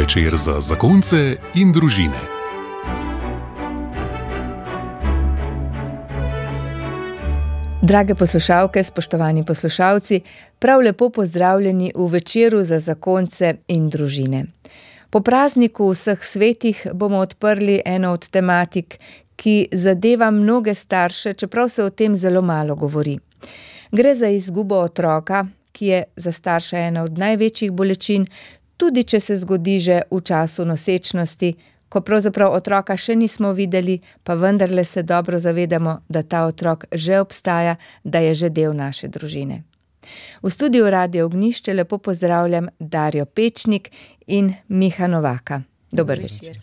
Večer za zakonce in družine. Drage poslušalke, spoštovani poslušalci, prav lepo pozdravljeni v Večeru za zakonce in družine. Po prazniku vseh svetih bomo odprli eno od tematik, ki zadeva mnoge starše, čeprav se o tem zelo malo govori. Gre za izgubo otroka, ki je za starša ena od največjih bolečin, tudi če se zgodi že v času nosečnosti, ko pravzaprav otroka še nismo videli, pa vendarle se dobro zavedamo, da ta otrok že obstaja, da je že del naše družine. V studiu Radia Ognjišče lepo pozdravljam Darjo Pečnik in Miha Novaka. Dober večer.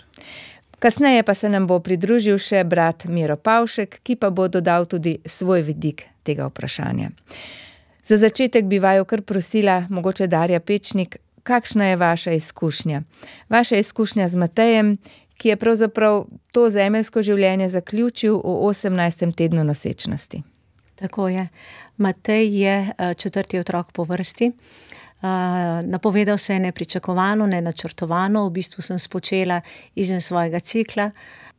Kasneje pa se nam bo pridružil še brat Miro Pavšek, ki pa bo dodal tudi svoj vidik tega vprašanja. Za začetek bi vaju kar prosila, mogoče Darja Pečnik, kakšna je vaša izkušnja? Vaša izkušnja z Matejem, ki je pravzaprav to zemeljsko življenje zaključil v 18. tednu nosečnosti. Tako je. Matej je četrti otrok po vrsti. Napovedal se je nepričakovano, nenačrtovano, v bistvu sem spočela izven svojega cikla,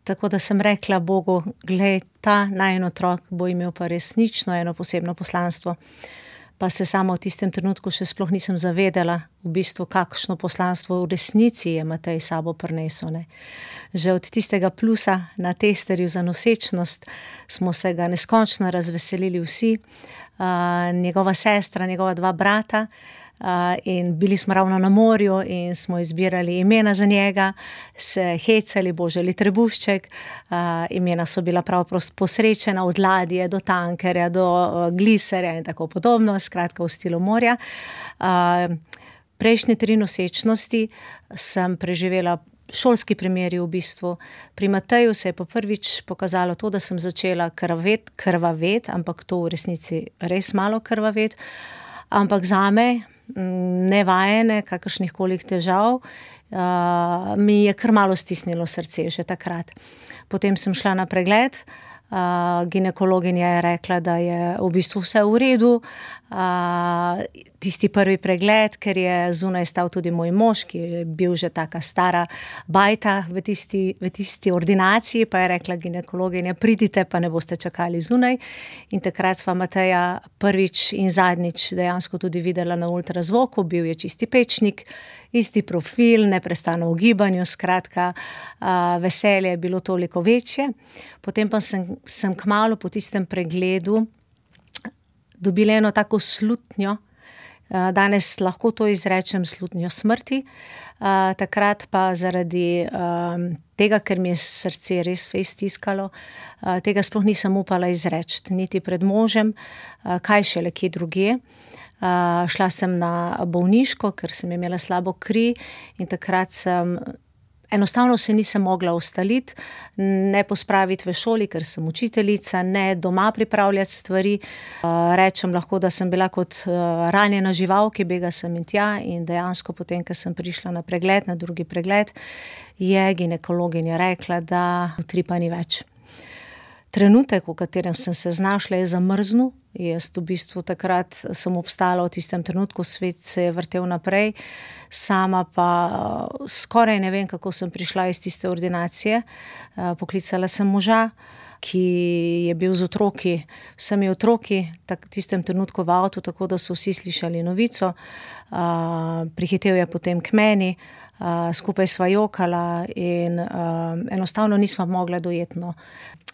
tako da sem rekla Bogu, glej, ta najin otrok bo imel pa resnično eno posebno poslanstvo. Pa se sama v tistem trenutku še sploh nisem zavedala, v bistvu kakšno poslanstvo v resnici je Matej sabo prinesel, ne. Že od tistega plusa na testerju za nosečnost smo se ga neskončno razveselili vsi, njegova sestra, njegova dva brata, in bili smo ravno na morju in smo izbirali imena za njega, se hecali, Boželi Trebušček, imena so bila prav posrečena, od ladje do tankerja, do gliserja in tako podobno, skratka v stilu morja. Prejšnje 3 nosečnosti sem preživela šolski primeri v bistvu. Pri Mateju se je pa prvič pokazalo to, da sem začela krvavet, ampak to v resnici res malo krvavet, ampak zame, nevajene, kakršnih kolik težav, mi je kar malo stisnilo srce že takrat. Potem sem šla na pregled, ginekologinja je rekla, da je v bistvu vse v redu, tisti prvi pregled, ker je zunaj stal tudi moj mož, ki je bil že taka stara bajta v tisti ordinaciji, pa je rekla ginekologinja, pridite, pa ne boste čakali zunaj. In takrat sva Mateja prvič in zadnjič dejansko tudi videla na ultrazvoku, bil je čisti pečnik, isti profil, neprestano v gibanju, skratka, veselje je bilo toliko večje. Potem pa sem kmalu po tistem pregledu dobila eno tako slutnjo, danes lahko to izrečem, slutnjo smrti, takrat pa zaradi tega, ker mi je srce res fejst stiskalo, tega sploh nisem upala izreči, niti pred možem, kaj šele kje drugje. Šla sem na bolniško, ker sem imela slabo kri in takrat enostavno se nisem mogla ustaliti, ne pospraviti v šoli, ker sem učiteljica, ne doma pripravljati stvari. Rečem lahko, da sem bila kot ranjena žival, ki bega sem in tja, in dejansko potem, ko sem prišla na pregled, na drugi pregled, je ginekologinja rekla, da utripa ni več. Trenutek, v katerem sem se znašla, je zamrznil. Jaz v bistvu takrat sem obstala v tistem trenutku, svet se je vrtel naprej, sama pa skoraj ne vem, kako sem prišla iz tiste ordinacije. Poklicala sem moža, ki je bil z otroki, vsemi otroki, v tistem trenutku v avtu, tako da so vsi slišali novico. Prihitel je potem k meni, skupaj sva jokala in enostavno nisva mogla dojeti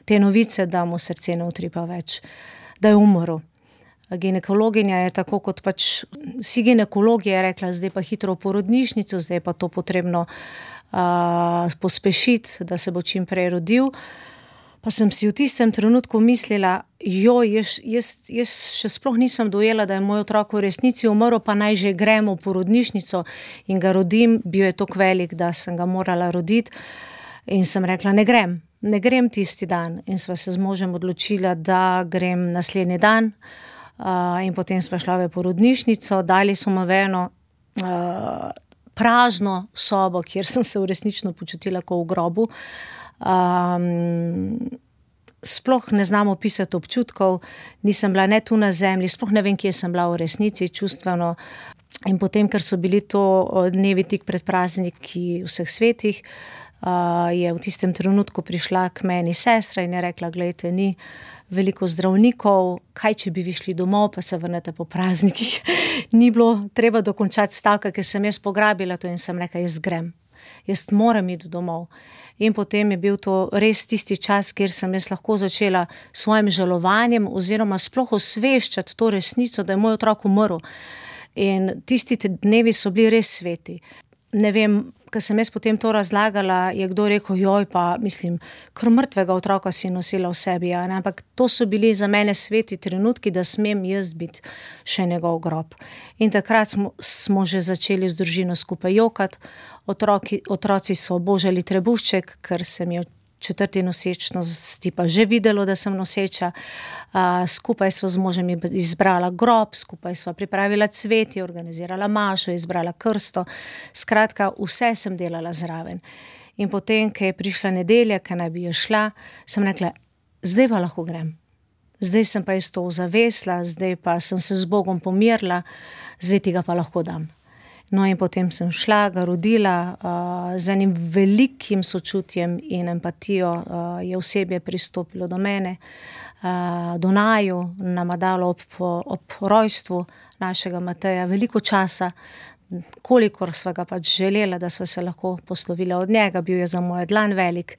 te novice, da mu srce ne utripa več, da je umrl. Ginekologinja je tako kot pač vsi ginekologi je rekla, zdaj pa hitro v porodnišnico, zdaj pa to potrebno pospešiti, da se bo čim prej rodil. Pa sem si v tistem trenutku mislila, jaz še sploh nisem dojela, da je moj otrok v resnici umrl, pa naj že gremo v porodnišnico in ga rodim, bil je toliko velik, da sem ga morala roditi. In sem rekla, ne grem tisti dan. In sva se z možem odločila, da grem naslednji dan. In potem sva šla v porodnišnico, dali so me v eno prazno sobo, kjer sem se resnično počutila kot v grobu. Sploh ne znam opisati občutkov, nisem bila ne tu na zemlji, sploh ne vem, kje sem bila v resnici čustveno. In potem, ker so bili to dnevi tik pred prazniki vseh svetih, je v tistem trenutku prišla k meni sestra in je rekla, glejte, ni veliko zdravnikov, kaj če bi vi šli domov, pa se vrnete po praznikih. Ni bilo treba dokončati stavka, ker sem jaz pograbila to in sem rekla, jaz grem. Jaz moram iti domov. In potem je bil to res tisti čas, kjer sem jaz lahko začela s svojim žalovanjem oziroma sploh osveščati to resnico, da je moj otrok umrl. In tisti dnevi so bili res sveti. Ne vem, ko sem jaz potem to razlagala, je kdo rekel, joj, pa mislim, kar mrtvega otroka si nosila v sebi, ja, ne? Ampak to so bili za mene sveti trenutki, da smem jaz biti še njegov grob. In takrat smo že začeli z družino skupaj jokati, otroci so božali trebušček, ker sem jo četrti nosečnosti pa že videlo, da sem noseča. Skupaj sva z možem izbrala grob, skupaj sva pripravila cvetje, organizirala mašo, izbrala krsto. Skratka, vse sem delala zraven. In potem, ko je prišla nedelja, ko naj bi jo šla, sem rekla, zdaj pa lahko grem. Zdaj sem pa jaz to ozavesla, zdaj pa sem se z Bogom pomirila, zdaj ti ga pa lahko dam. No in potem sem šla, ga rodila, z enim velikim sočutjem in empatijo je osebje pristopilo do mene, do naju, nama dalo ob rojstvu našega Mateja veliko časa, kolikor sva ga pač želela, da sva se lahko poslovila od njega, bil je za mojo dlan velik,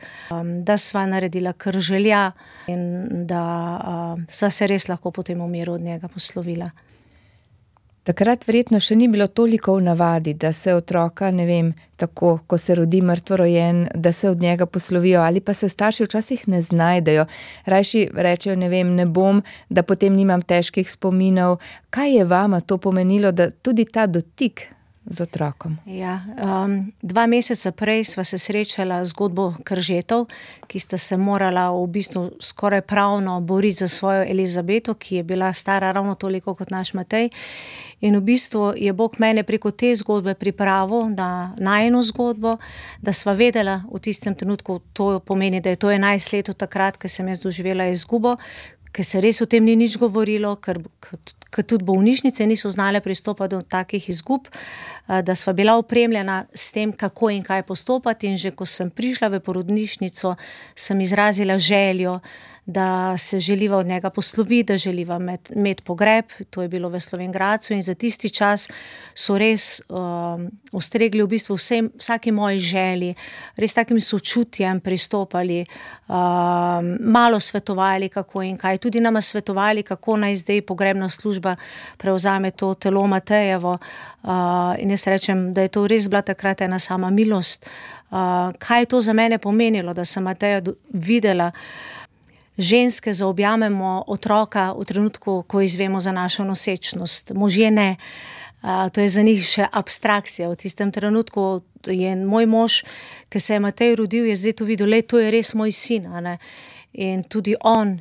da sva naredila kar želja in da sva se res lahko potem v miru od njega poslovila. Takrat verjetno še ni bilo toliko v navadi, da se otroka, ne vem, tako, ko se rodi mrtvorojen, da se od njega poslovijo, ali pa se starši včasih ne znajdejo. Rajši rečejo, ne vem, ne bom, da potem nimam težkih spominov. Kaj je vama to pomenilo, da tudi ta dotik z otrokom? Ja, 2 meseca prej sva se srečala z zgodbo Kržetov, ki sta se morala v bistvu skoraj pravno boriti za svojo Elizabeto, ki je bila stara ravno toliko kot naš Matej. In v bistvu je Bog mene preko te zgodbe pripravil na najino zgodbo, da sva vedela v tistem trenutku, to pomeni, da je to 11 let od takrat, ko sem jaz doživela izgubo, ker se res o tem ni nič govorilo, ker tudi bolnišnice niso znale pristopati do takih izgub, da sva bila opremljena s tem, kako in kaj postopati. In že ko sem prišla v porodnišnico, sem izrazila željo, da se želiva od njega posloviti, da želiva imeti pogreb, to je bilo v Slovenj Gradcu in za tisti čas so res ustregli v bistvu vsaki moji želji, res takim sočutjem pristopali, malo svetovali, kako in kaj, tudi nama svetovali, kako naj zdaj pogrebna služba prevzame to telo Matejevo, in jaz rečem, da je to res bila takrat ena sama milost. Kaj je to za mene pomenilo, da sem Mateja videla. Ženske zaobjamemo otroka v trenutku, ko izvemo za našo nosečnost. Možje ne. To je za njih še abstrakcija. V tistem trenutku je moj mož, ki se je Matej rodil, je zdaj to videl, to je res moj sin. In tudi on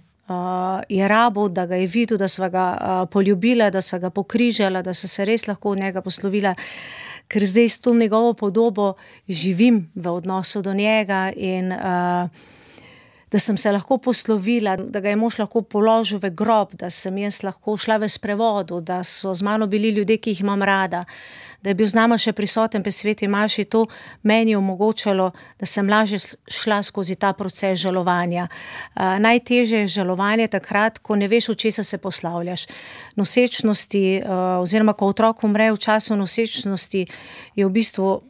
je rabil, da ga je videl, da sva ga poljubila, da sva ga pokrižala, da sva se res lahko od njega poslovila, ker zdaj s to njegovo podobo živim v odnosu do njega in da sem se lahko poslovila, da ga je mož lahko položil v grob, da sem jaz lahko šla v sprevodu, da so z mano bili ljudje, ki jih imam rada, da je bil z nama še prisoten pri sveti maši, to meni je omogočalo, da sem lažje šla skozi ta proces žalovanja. Najtežje je žalovanje takrat, ko ne veš, v česa se poslavljaš. Nosečnosti, oziroma ko otrok umre v času nosečnosti, je v bistvu,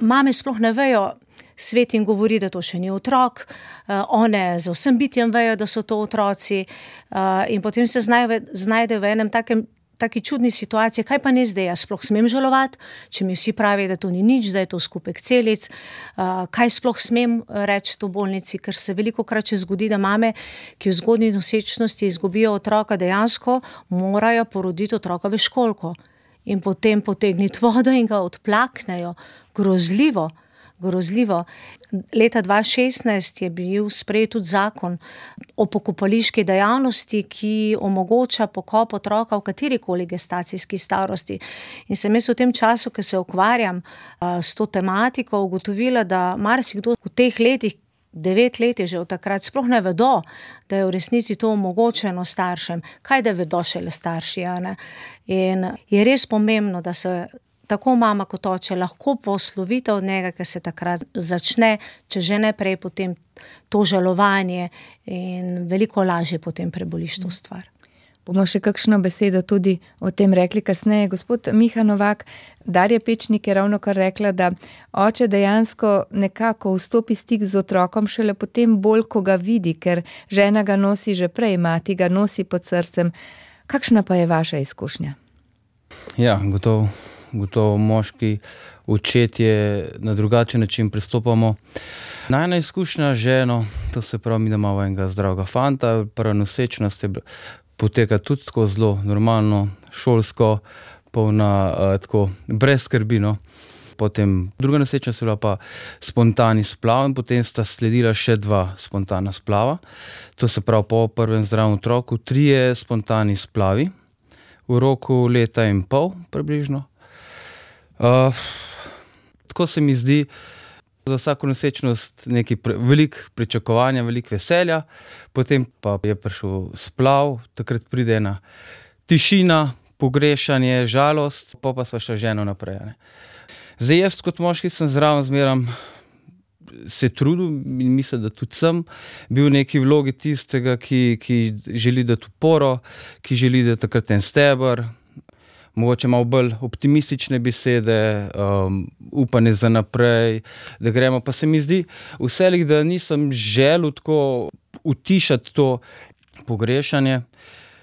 mame sploh ne vejo, svet jim govori, da to še ni otrok, one z vsem bitjem vejo, da so to otroci, in potem se znajde v enem taki čudni situaciji, kaj pa ne zdaj, jaz sploh smem žalovati, če mi vsi pravijo, da to ni nič, da je to skupek celic, kaj sploh smem reči v bolnici, ker se velikokrat še zgodi, da mame, ki v zgodnji nosečnosti izgubijo otroka, dejansko morajo poroditi otroka v školko in potem potegniti vodo in ga odplaknejo. Grozljivo. Leta 2016 je bil sprejet tudi zakon o pokopališki dejavnosti, ki omogoča pokop otroka v katerikoli gestacijski starosti. In sem jaz v tem času, ko se ukvarjam s to tematiko, ugotovila, da marsikdo v teh letih, 9 let je že od takrat, sploh ne vedo, da je v resnici to omogočeno staršem, kaj da vedo šele starši, a ne. In je res pomembno, da se tako mama kot oče lahko poslovite od njega, ker se takrat začne, če že ne prej, potem to žalovanje in veliko lažje potem preboliš to stvar. Bomo še kakšno besedo tudi o tem rekli kasneje. Gospod Miha Novak, Darja Pečnik je ravnokar rekla, da oče dejansko nekako vstopi stik z otrokom šele potem bolj, ko ga vidi, ker žena ga nosi že prej, mati ga nosi pod srcem. Kakšna pa je vaša izkušnja? Ja, gotovo moški očetje na drugačen način pristopamo. Najna izkušnja ženo, to se pravi, mi da imamo enega zdravega fanta, prva nosečnost je poteka tudi tako zelo normalno, šolsko, polna tako brez skrbi, no. Potem druga nosečnost je bila pa spontani splav in potem sta sledila še 2 spontana splava. To se pravi po prvem zdravem otroku 3 spontani splavi v roku 1,5 leta približno. Tako se mi zdi, za vsako nosečnost veliko pričakovanja, veliko veselja, potem pa je prišel splav, takrat pride ena tišina, pogrešanje, žalost, pa sva šla ženo naprej. Ne. Zdaj jaz kot moški sem zraven zmeram se trudil in mislim, da tudi sem bil v neki vlogi tistega, ki želi dati oporo, ki želi dati takrat en steber, mogoče malo bolj optimistične besede, upanje za naprej, da gremo. Pa se mi zdi vselih, da nisem želel tako utišati to pogrešanje,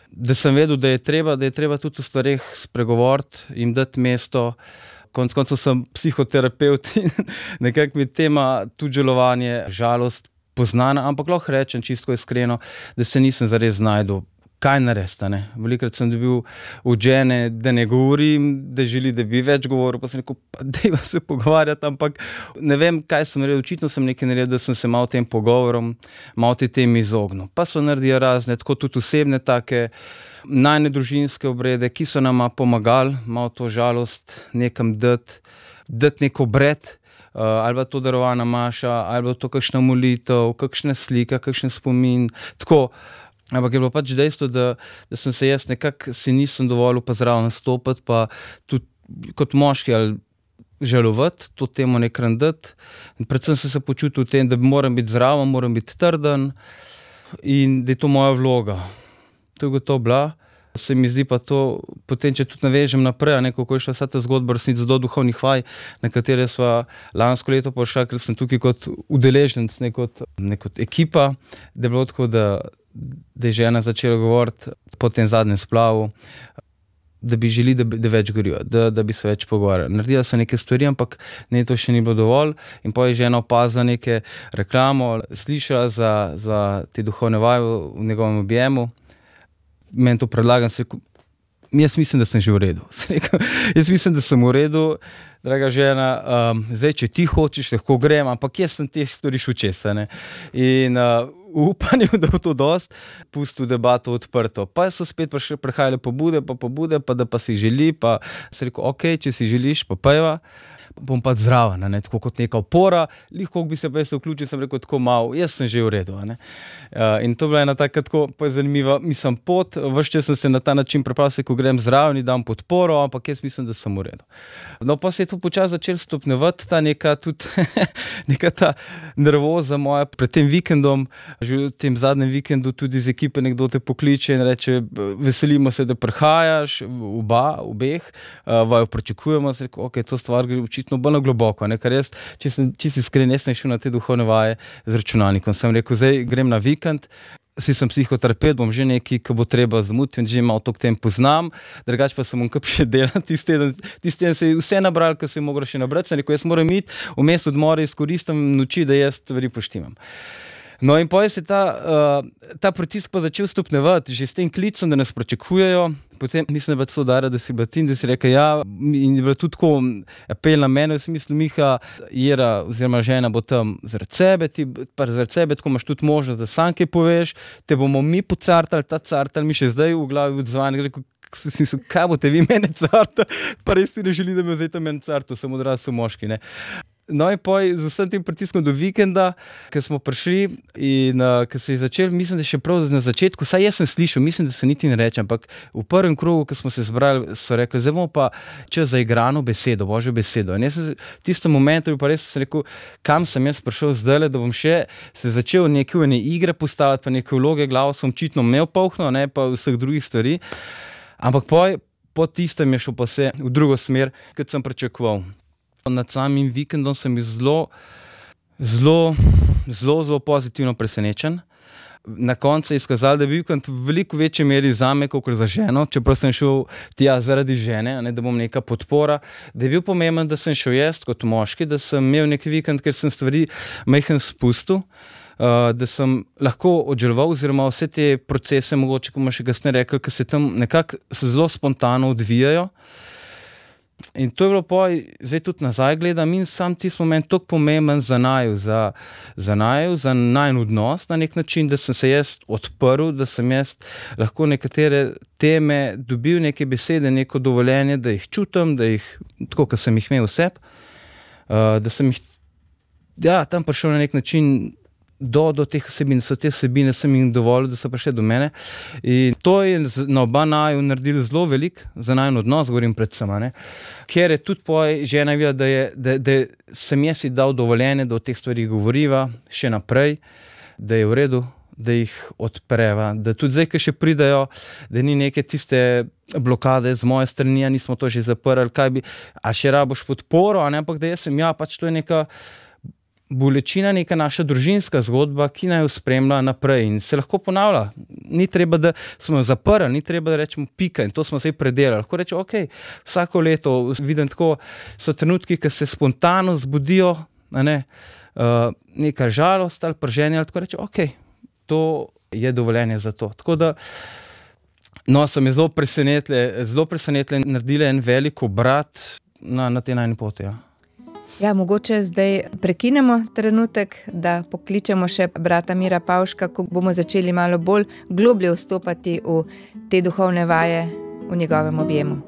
da sem vedel, da je treba tudi o stvareh spregovoriti, jim dati mesto. Konec koncev sem psihoterapevt in nekako mi tema tudi žalovanje, žalost poznana, ampak lahko rečem čisto iskreno, da se nisem zares znašel, kaj narediti, ne. Velikokrat sem dobil od žene, da ne govorim, da želi, da bi več govoril, pa sem rekel, pa dajva se pogovarjati, ampak ne vem, kaj sem naredil, očitno sem nekaj naredil, da sem se malo tem pogovorom, malo te temi izognil. Pa so naredili razne, tako tudi osebne take, najne družinske obrede, ki so nama pomagali, malo to žalost nekam dati nek obred, ali pa to darovana maša, ali pa to kakšna molitev, kakšna slika, kakšen spomin, tako. Ampak je bilo pač dejstvo, da sem se jaz nekako si nisem dovolil pa zraven nastopati, pa tudi kot moški ali žalovati, to temo nekaj dati. In predvsem sem se počutil v tem, da moram biti zraven, moram biti trden in da je to moja vloga. To je gotovo bila. Se mi zdi pa to, potem če tudi navežem naprej, kako je šla vsa ta zgodba resnici do duhovnih vaj, na katere sva lansko leto prišla, ker sem tukaj kot udeleženec, ne kot ekipa, da je bilo tako, da je žena začela govoriti po tem zadnjem splavu, da bi želi, da več govorijo, da bi se več pogovarjali. Naredila so neke stvari, ampak ne, to še ni bilo dovolj in potem je žena opazila neke reklamo, slišala za te duhovne vaje v njegovem objemu. Meni to predlagam, jaz mislim, da sem že v redu. Jaz mislim, da sem v redu, draga žena, zdaj, če ti hočeš, lahko grem, ampak jaz sem te stvari šel čez, ne. In upanje, da bo to dosti, pustil debato odprto. Pa so spet prihajale pobude, pa da pa si želi, pa sem rekel, ok, če si želiš, pa pojva. Bom pa zraven, ne, tako kot neka opora, lahko bi se pa jaz vključil, sem rekel tako malo, jaz sem že v redu, ne. In to bila ena taka tako zanimiva, mislim, pot, ves čas sem se na ta način pripravil, ko grem zraven in dam podporo, ampak jaz mislim, da sem v redu. No, pa se je to počasi začel stopnjevati, ta neka tudi, neka ta nervoza moja pred tem vikendom, že v tem zadnjem vikendu tudi z ekipe nekdo te pokliče in reče, veselimo se, da prihajaš, obeh, vaju pričakujemo, sem rekel, ok, to stvar gre očitno bolj na globoko, ne, ker jaz, če sem čisto iskren, jaz sem šel na te duhovne vaje z računalnikom, sem rekel, zdaj grem na vikend, sem psihoterapeut, bom že nekaj, ki bo treba zamuti, že malo to k tem poznam, drugače pa sem bom kap še delal, tisti teden se je vse nabral, kar se je moglo še nabrati, sem rekel, jaz moram iti, vmes odmore izkoristim noči, da jaz stvari poštimam. No in potem se ta pritisk pa začel stopnjevati, že s tem klicom, da nas pričakujejo, potem mislim, da je bilo Darja, da si bila ti in da si rekel ja, in je bilo tudi tako apel na mene, v smislu, Miha, Jera oziroma žena bo tam zaradi sebe, ti pa zaradi sebe, tako imaš tudi možnost, da sam kaj poveš, te bomo mi pocartali, ta cartal mi še zdaj v glavi odzvani, rekel, si mislil, kaj boste vi mene cartali, pa res ti ne želi, da me vzeti meni carto, sem odrasel moški, ne. No in poj z vsem tem pritiskom do vikenda, ko smo prišli in ko se je začel, mislim, da še prav na začetku, saj jaz sem slišal, mislim, da se niti ne reče, ampak v prvem krogu, ko smo se zbrali, so rekli, zdaj bomo pa čez zaigrano besedo, božjo besedo. In jaz sem v tistem momentu pa res sem rekel, kam sem jaz prišel zdajle, da bom še se začel neke igre postavljati, pa neke vloge, glavo sem očitno imel polhno, ne pa vseh drugih stvari. Ampak po tistem je šel pa vse v drugo smer, kot sem pričakoval. Nad samim vikendom sem bil zelo pozitivno presenečen. Na koncu je izkazalo, da je vikend v veliko večji meri zame, kot za ženo, čeprav sem šel tja zaradi žene, ne, da bom neka podpora, da je bil pomemben, da sem šel jaz kot moški, da sem imel nek vikend, ker sem stvari majhen spustil, da sem lahko odželoval oziroma vse te procese, mogoče, ko bomo še kasneje rekli, ki se tam nekako zelo spontano odvijajo. In to je bilo zdaj tudi nazaj gledam in sam tisti moment toliko pomemben za naju, za najin odnos na nek način, da sem se jaz odprl, da sem jaz lahko nekatere teme dobil, neke besede, neko dovoljenje, da jih čutim, da jih, tako kot sem jih imel vseb, da sem jih tam prišel na nek način do teh vsebin, so te vsebine sem jim dovolil, da so prišli do mene. In to je na oba naju naredilo zelo veliko, za najin odnos, govorim predvsem, ne? Ker je tudi žena videla, da sem jaz si dal dovoljenje, da o teh stvarih govoriva še naprej, da je v redu, da jih odpreva, da tudi zdaj, ki še pridajo, da ni neke tiste blokade z moje strani, nismo to že zaprli, a še raboš podporo, ampak da jaz sem, pač to je neka bolečina, neka naša družinska zgodba, ki naj jo spremlja naprej in se lahko ponavlja. Ni treba, da smo jo zaprli, ni treba, da rečemo pika in to smo se predelali. Lahko reče, vsako leto vidim tako, so trenutki, ki se spontano zbudijo, neka žalost ali prženje, ali tako reče, to je dovoljenje za to. Tako da, so me zelo presenetle naredile en velik obrat na tej najni poti, mogoče zdaj prekinemo trenutek, da pokličemo še brata Mira Pavška, ko bomo začeli malo bolj globlje vstopati v te duhovne vaje v njegovem objemu.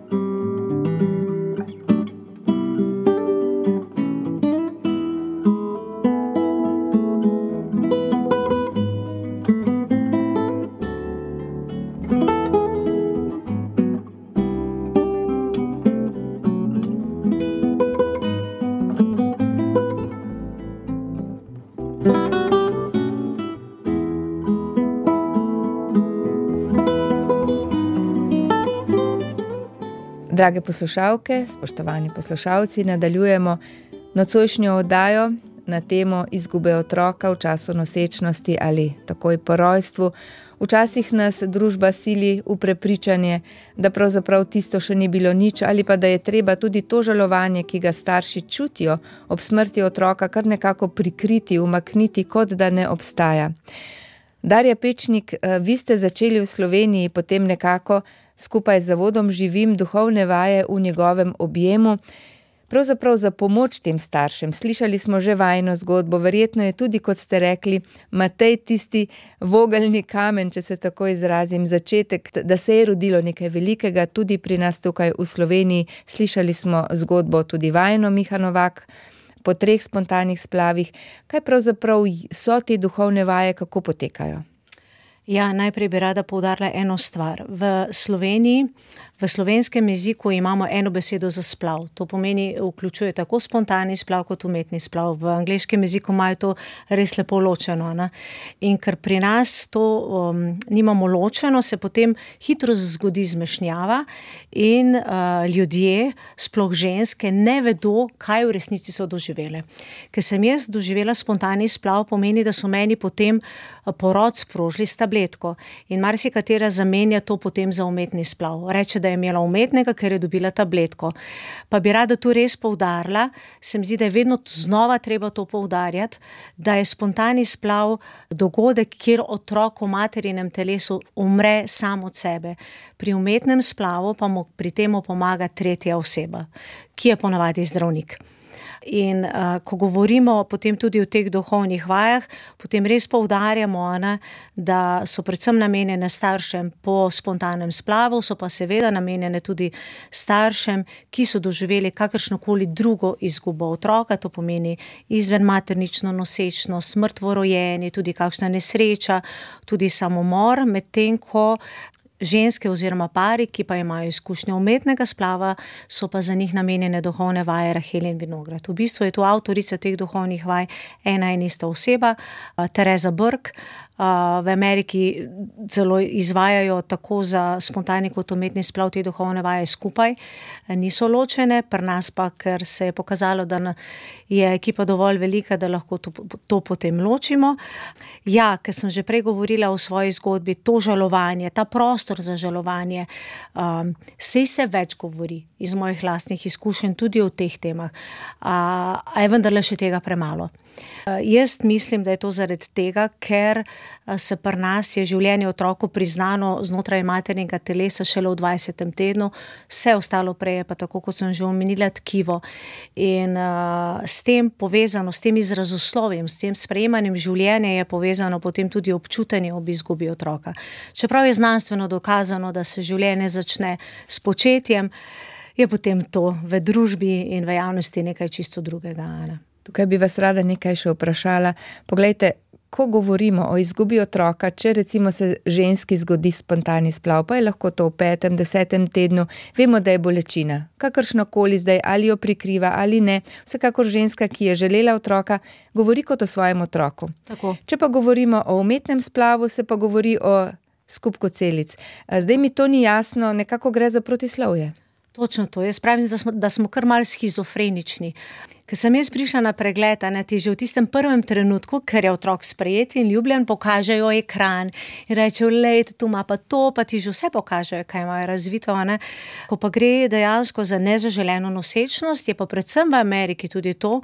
Drage poslušalke, spoštovani poslušalci, nadaljujemo nocojšnjo oddajo na temo izgube otroka v času nosečnosti ali takoj po rojstvu. Včasih nas družba sili v prepričanje, da pravzaprav tisto še ni bilo nič ali pa da je treba tudi to žalovanje, ki ga starši čutijo ob smrti otroka, kar nekako prikriti, umakniti, kot da ne obstaja. Darja Pečnik, vi ste začeli v Sloveniji potem nekako skupaj z zavodom Živim duhovne vaje v njegovem objemu, pravzaprav za pomoč tem staršem. Slišali smo že vajino zgodbo, verjetno je tudi, kot ste rekli, Matej tisti vogelni kamen, če se tako izrazim, začetek, da se je rodilo nekaj velikega tudi pri nas tukaj v Sloveniji. Slišali smo zgodbo tudi vajino Miha Novak po 3 spontanih splavih. Kaj pravzaprav so te duhovne vaje, kako potekajo? Najprej bi rada poudarila eno stvar. V Sloveniji, v slovenskem jeziku imamo eno besedo za splav. To pomeni, vključuje tako spontani splav kot umetni splav. V angleškem jeziku imajo to res lepo ločeno. Ne? In ker pri nas to nimamo ločeno, se potem hitro zgodi zmešnjava in ljudje, sploh ženske, ne vedo, kaj v resnici so doživele. Ker sem jaz doživela spontani splav, pomeni, da so meni potem porod sprožili s tabletko in marsikatera zamenja to potem za umetni splav. Reče, da je imela umetnega, ker je dobila tabletko. Pa bi rada tu res poudarila, se mi zdi, da je vedno znova treba to poudarjati, da je spontani splav dogodek, kjer otrok v materinem telesu umre sam od sebe. Pri umetnem splavu pa mu pri temu pomaga tretja oseba, ki je ponavadi zdravnik. In ko govorimo potem tudi o teh duhovnih vajah, potem res poudarjamo, da so predvsem namenjene staršem po spontanem splavu, so pa seveda namenjene tudi staršem, ki so doživeli kakršnokoli drugo izgubo otroka, to pomeni izvenmaternično nosečnost, smrt v rojenju, tudi kakšna nesreča, tudi samomor, medtem ko ženske oziroma pari, ki pa imajo izkušnjo umetnega splava, so pa za njih namenjene duhovne vaje Rahel in Vinograd. V bistvu je to avtorica teh duhovnih vaj ena in ista oseba, Teresa Burke. V Ameriki celo izvajajo tako za spontani kot umetni splav te duhovne vaje skupaj, niso ločene, pri nas pa, ker se je pokazalo, da je ekipa dovolj velika, da lahko to potem ločimo. Ja, ker sem že prej govorila o svoji zgodbi, to žalovanje, ta prostor za žalovanje, sej se več govori iz mojih lastnih izkušenj tudi o teh temah, a je vendarle še tega premalo. Jaz mislim, da je to zaradi tega, ker se pri nas je življenje otroku priznano znotraj maternega telesa šele v 20. tednu, vse ostalo prej je pa tako, kot sem že omenila, tkivo. In s tem povezano, s tem izrazoslovjem, s tem sprejemanjem življenja je povezano potem tudi občutenje ob izgubi otroka. Čeprav je znanstveno dokazano, da se življenje začne s početjem, je potem to v družbi in v javnosti nekaj čisto drugega. Tukaj bi vas rada nekaj še vprašala. Poglejte, ko govorimo o izgubi otroka, če recimo se ženski zgodi spontani splav, pa je lahko to v 5., 10. tednu, vemo, da je bolečina. Kakršnokoli zdaj, ali jo prikriva ali ne, vsekakor ženska, ki je želela otroka, govori kot o svojem otroku. Tako. Če pa govorimo o umetnem splavu, se pa govori o skupku celic. Zdaj mi to ni jasno, nekako gre za protislovje. Točno to. Jaz pravim, da smo kar malo shizofrenični. Ker sem jaz prišla na pregled, ti že v tistem prvem trenutku, ker je otrok sprejet in ljubljen, pokažejo ekran in rečejo, lejte, tu ima pa to, pa ti že vse pokažejo, kaj imajo razvito. Ko pa gre dejansko za nezaželeno nosečnost, je pa predvsem v Ameriki tudi to,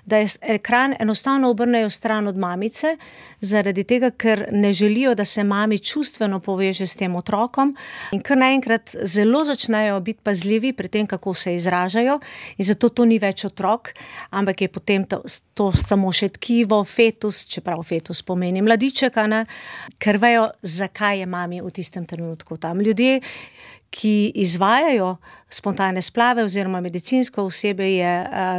da je ekran enostavno obrnejo stran od mamice, zaradi tega, ker ne želijo, da se mami čustveno poveže s tem otrokom in kar naenkrat zelo začnejo biti pazljivi pri tem, kako se izražajo, in zato to ni več otrok, ampak je potem to samo še tkivo, fetus, čeprav fetus pomeni mladiček, ker vejo, zakaj je mami v tistem trenutku tam. Ljudje, ki izvajajo spontane splave oziroma medicinsko osebje, je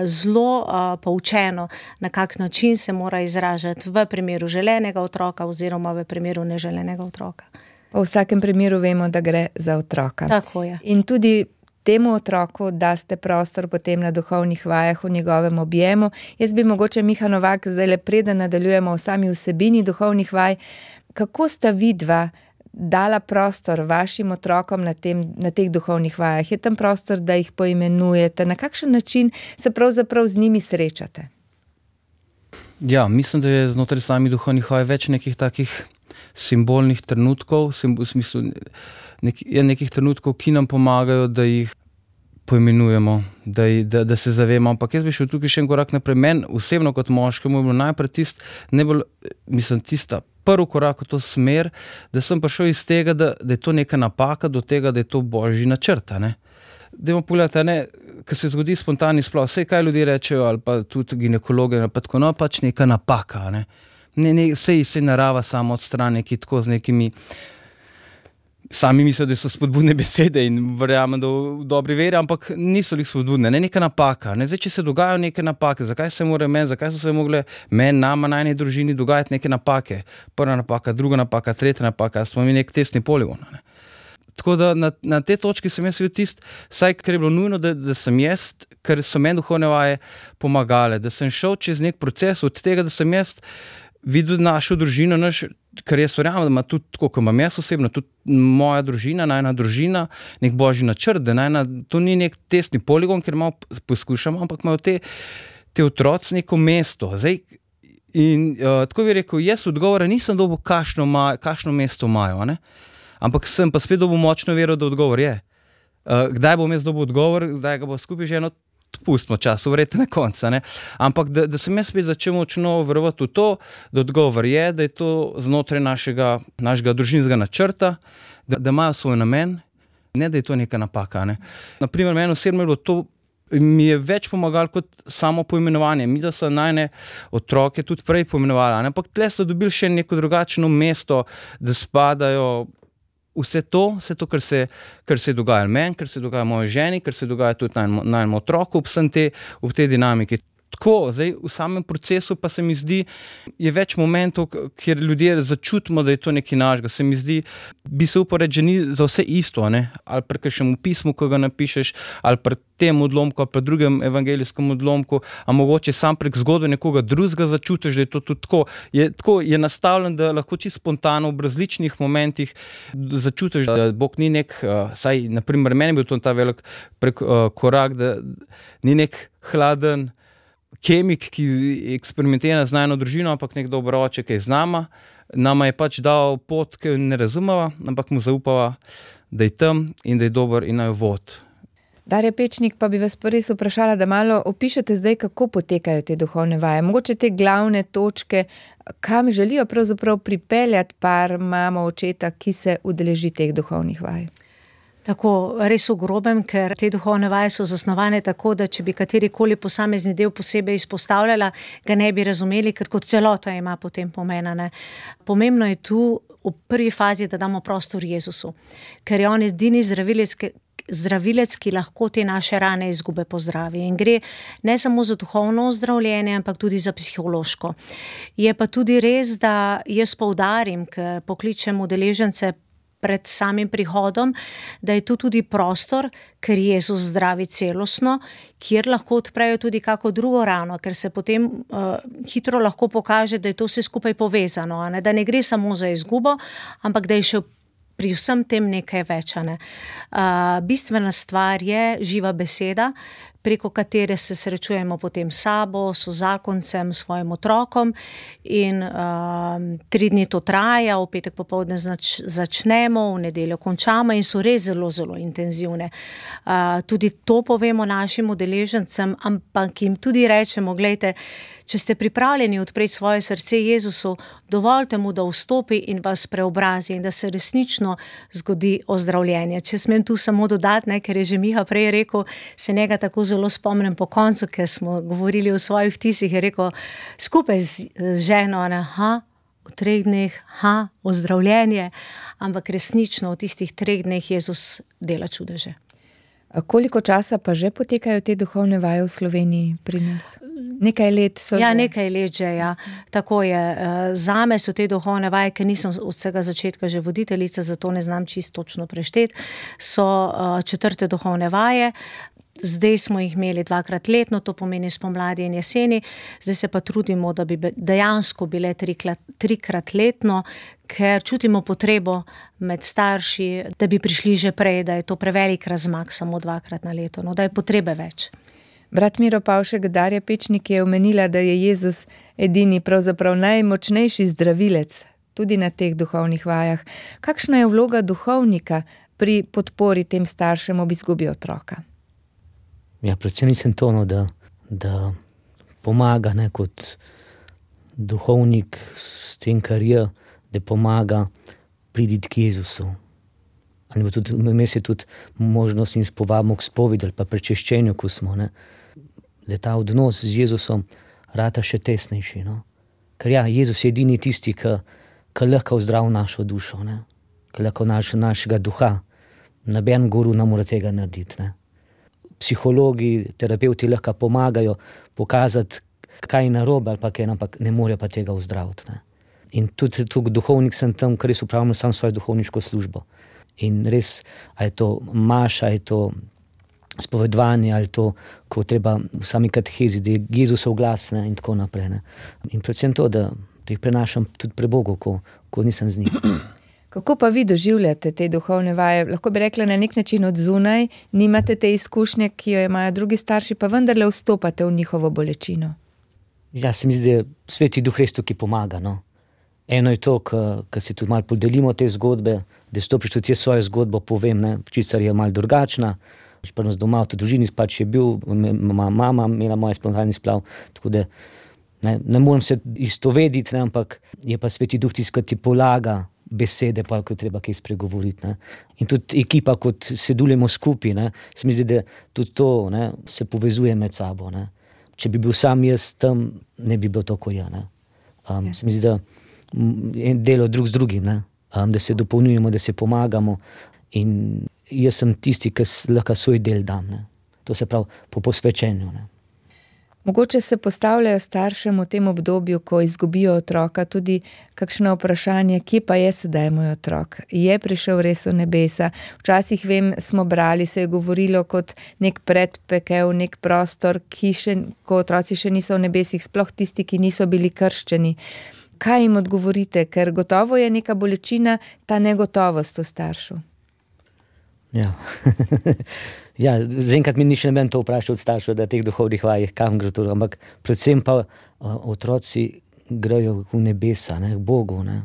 zelo poučeno, na kak način se mora izražati v primeru želenega otroka oziroma v primeru neželenega otroka. Pa v vsakem primeru vemo, da gre za otroka. Tako je. In tudi temu otroku daste prostor potem na duhovnih vajah v njegovem objemu. Jaz bi mogoče, Miha Novak, zdaj le preden nadaljujemo o sami vsebini duhovnih vaj, kako sta vidva dala prostor vašim otrokom na teh duhovnih vajah? Je tam prostor, da jih poimenujete? Na kakšen način se pravzaprav z njimi srečate? Ja, mislim, da je znotraj samih duhovnih vaj več nekih takih simbolnih trenutkov, v smislu nekih trenutkov, ki nam pomagajo, da jih poimenujemo, da se zavemo. Ampak jaz bi šel tukaj še en korak naprej. Meni osebno kot moškemu je bilo najprej tista prvi korak v to smer, da sem prišel iz tega, da je to neka napaka, do tega, da je to božji načrt. Dajmo pogledati, ko se zgodi spontani splav, vse kaj ljudje rečejo, ali pa tudi ginekologe, pa tako, pač neka napaka. Sej narava samo odstrani, ki tako z nekimi sami mislijo, da so spodbudne besede in verjamem, da v dobri veri, ampak niso jih spodbudne, neka napaka. Zdaj, če se dogajajo neke napake, zakaj so se mogle nama, najni družini dogajati neke napake? Prva napaka, druga napaka, tretja napaka, smo mi nek testni poligon. Tako da na te točki sem jaz videl vsaj kar je bilo nujno, da sem jaz, ker so meni duhovne vaje pomagale, da sem šel čez nek proces od tega, da sem jaz videl našo družino, ker jaz verjamem, da ima tudi, tako kot imam jaz osebno, tudi moja družina, najna družina, nek božji načrt, da to ni nek testni poligon, ker malo poskušamo, ampak imajo te otroci neko mesto. Zdaj, in tako bi rekel, jaz odgovora nisem dobil, kakšno mesto imajo, ampak sem pa spet dobil močno vero, da odgovor je. Kdaj bom jaz dobil odgovor, kdaj ga bo skupaj že pustimo čas, verjetno na konca. Ampak da sem jaz spet začel močno verovati v to, da odgovor je, da je to znotraj našega družinskega načrta, da imajo svoj namen, ne da je to neka napaka. Naprimer, meni osebno je bilo to mi je več pomagalo kot samo poimenovanje. Mi, da so najne otroke tudi prej poimenovali, ampak tle so dobili še neko drugačno mesto, da spadajo vse to, kar se dogaja meni, kar se dogaja moji ženi, kar se dogaja tudi najnemu otroku v tej dinamiki. Tako, zdaj v samem procesu pa se mi zdi, je več momentov, kjer ljudje začutimo, da je to nekaj našega. Se mi zdi, bi se upal reči, že ni za vse isto, ne? Ali pri kakšnem pismu, ko ga napišeš, ali pri tem odlomku, ali pri drugem evangelijskem odlomku, a mogoče sam prek zgodbe nekoga drugega začutiš, da je to tudi tako. Je nastavljen, da lahko čisto spontano v različnih momentih začutiš, da Bog ni nek, saj naprimer meni bil to ta velik korak, da ni nek hladen kemik, ki eksperimentira z najno družino, ampak nek dober oče, ki je z nama. Nama je pač dal pot, ki jo ne razumeva, ampak mu zaupava, da je tam in da je dober in naj vod. Darja Pečnik, pa bi vas res vprašala, da malo opišete zdaj, kako potekajo te duhovne vaje. Mogoče te glavne točke, kam želijo pravzaprav pripeljati par mamo, očeta, ki se udeleži teh duhovnih vaj. Tako, res v grobem, ker te duhovne vaje so zasnovane tako, da če bi katerikoli posamezni del posebej izpostavljala, ga ne bi razumeli, ker kot celota ima potem pomena, ne. Pomembno je tu v prvi fazi, da damo prostor Jezusu, ker je on edini zdravilec, ki lahko te naše rane izgube pozdravi. In gre ne samo za duhovno ozdravljenje, ampak tudi za psihološko. Je pa tudi res, da jaz poudarim, ker pokličem udeležence pred samim prihodom, da je tu tudi prostor, ker Jezus zdravi celostno, kjer lahko odprejo tudi kako drugo rano, ker se potem hitro lahko pokaže, da je to vse skupaj povezano, ne? Da ne gre samo za izgubo, ampak da je še pri vsem tem nekaj več. Bistvena stvar je živa beseda, preko katere se srečujemo potem s sabo, sozakoncem, svojim otrokom in 3 dni to traja, v petek popoldne začnemo, v nedeljo končamo in so res zelo, zelo intenzivne. Tudi to povemo našim udeležencem, ampak jim tudi rečemo, glejte, če ste pripravljeni odpreti svoje srce Jezusu, dovolite mu, da vstopi in vas preobrazi in da se resnično zgodi ozdravljenje. Če smem tu samo dodati, ker je že Miha prej rekel, se njega tako zelo spomnim po koncu, ker smo govorili o svojih vtisih, je rekel skupaj z ženo, v 3 dneh, ozdravljenje, ampak resnično v tistih 3 dneh Jezus dela čudeže. Koliko časa pa že potekajo te duhovne vaje v Sloveniji pri nas? Nekaj let so že? Ja, nekaj let že, ja. Tako je. Zame so te duhovne vaje, ker nisem od vsega začetka že voditeljica, zato ne znam čisto točno prešteti, so 4. duhovne vaje. Zdaj smo jih imeli 2-krat letno, to pomeni spomladi in jeseni, zdaj se pa trudimo, da bi dejansko bile 3-krat letno, ker čutimo potrebo med starši, da bi prišli že prej, da je to prevelik razmak samo 2-krat na leto, da je potrebe več. Brat Miro Pavšek, Darja Pečnik je omenila, da je Jezus edini, pravzaprav najmočnejši zdravilec, tudi na teh duhovnih vajah. Kakšna je vloga duhovnika pri podpori tem staršem ob izgubi otroka? Ja, predvsem nisem to, da pomaga, kot duhovnik s tem, kar je, da pomaga priti k Jezusu. Ali tudi, vmes je tudi možnost in povabimo k spovedi ali pa prečeščenju, ko smo, da ta odnos z Jezusom rata še tesnejši. Ker ja, Jezus je edini tisti, ki lahko zdravi našo dušo, ki lahko našega duha. Noben guru ne more tega narediti. Psihologi, terapeuti lahko pomagajo pokazati, kaj je narobe ali pa kaj, ampak ne more pa tega ozdraviti. In tudi duhovnik sem tam, ker res upravljam sam svojo duhovniško službo. In res, ali je to maša, ali je to spovedovanje, ali je to, ko treba v sami katehezi, da je Jezusov glas in tako naprej. In predvsem to, da jih prenašam tudi pre Bogu, ko nisem z njim. Kako pa vi doživljate te duhovne vaje? Lahko bi rekla na nek način od zunaj, nimate te izkušnje, ki jo imajo drugi starši, pa vendarle vstopate v njihovo bolečino. Ja, se mi zdi, da Sveti Duh res tukaj pomaga. Eno je to, ko si tudi malo podelimo te zgodbe, da stopiš tudi svojo zgodbo, povem, čisto je malo drugačna. Pri nas doma v družini pač je bil, mama imela moj spontanni splav, tako da ne morem se istovediti, ampak je pa Sveti Duh tisti, ki ti polaga besede, pa ko je treba kaj spregovoriti. Ne. In tudi ekipa, kot sedujemo skupaj, ne, se mi zdi, da tudi to, ne, se povezuje med sabo. Ne. Če bi bil sam jaz tam, ne bi bilo tako ja. Ne. Se mi zdi, da delo drug z drugim, ne. Da se dopolnjujemo, da se pomagamo in jaz sem tisti, ki lahko svoj del dam. Ne. To se pravi po posvečenju. Ne. Mogoče se postavljajo staršem v tem obdobju, ko izgubijo otroka, tudi kakšno vprašanje, kje pa je sedaj moj otrok? Je prišel res v nebesa? Včasih vem, smo brali, se je govorilo kot nek predpekel, nek prostor, ko otroci še niso v nebesih, sploh tisti, ki niso bili krščeni. Kaj jim odgovorite? Ker gotovo je neka bolečina, ta negotovost v staršu. Ja, ja, zaenkrat mi ni še noben to vprašal od staršev, da teh duhovnih vajah, kam gre to, ampak predvsem pa otroci grejo v nebesa, ne, k Bogu. Ne.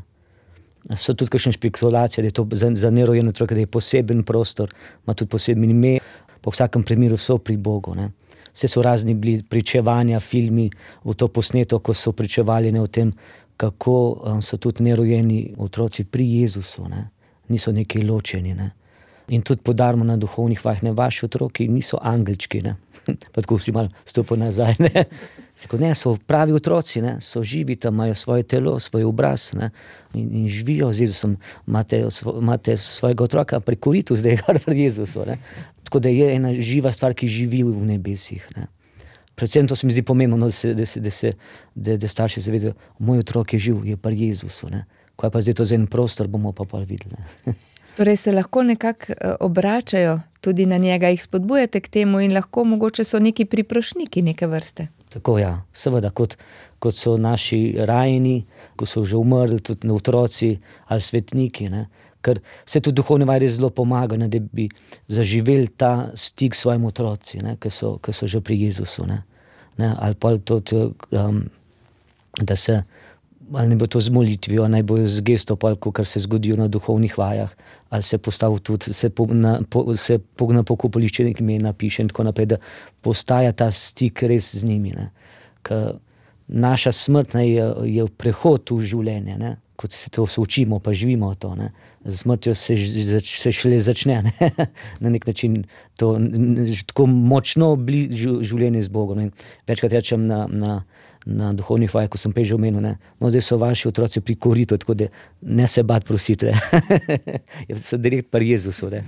So tudi kakšne špekulacije, da je to za nerojen otrok, da je poseben prostor, ima tudi poseben ime, po vsakem primeru so pri Bogu. Ne. Vse so razni bili pričevanja, filmi v to posneto, ko so pričevali o tem, kako so tudi nerojeni otroci pri Jezusu, ne. Niso neki ločeni, ne. In tudi podarimo na duhovnih vajah, ne, vaši otroki niso angelčki, ne. Pa tako vsi malo stopijo nazaj, ne. Ne, so pravi otroci, ne, so živi tam, imajo svoje telo, svoj obraz, ne, in živijo z Jezusom. Imate svojega otroka pri koritu zdaj, kar pri Jezusu, ne. Tako da je ena živa stvar, ki živi v nebesih, ne. Predvsem to se mi zdi pomembno, da starši zavedajo, moj otrok je živ, je pri Jezusu, ne. Ko je pa zdaj to za en prostor, bomo pa videli, ne. Torej se lahko nekako obračajo tudi na njega, jih spodbujate k temu in lahko mogoče so neki priprošniki neke vrste. Tako ja, seveda, kot so naši rajeni, ko so že umrli, tudi otroci ali svetniki, ne. Ker se tudi duhovne vaje zelo pomaga, ne, da bi zaživeli ta stik s svojim otroci, ne, ki so že pri Jezusu. Ne. Ne, ali pa tudi, da se ali ne bo to z molitvijo, naj bo z gesto, kar se zgodijo na duhovnih vajah, ali se postavi tudi, se na pokopališče nekaj napiše in tako naprej, da postaja ta stik res z njimi. Ne. Ker naša smrt, ne, je prehod v življenje, ne. Kot se to učimo, pa živimo to. Ne. Z smrtjo se šele začne, ne. Na nek način to tako močno življenje z Bogom. In večkrat rečem na duhovnih vajah, ko sem prej že omenil, ne, no, zdaj so vaši otroci pri koritu, tako da ne se bati prosite. So direkt pri Jezusu, ne.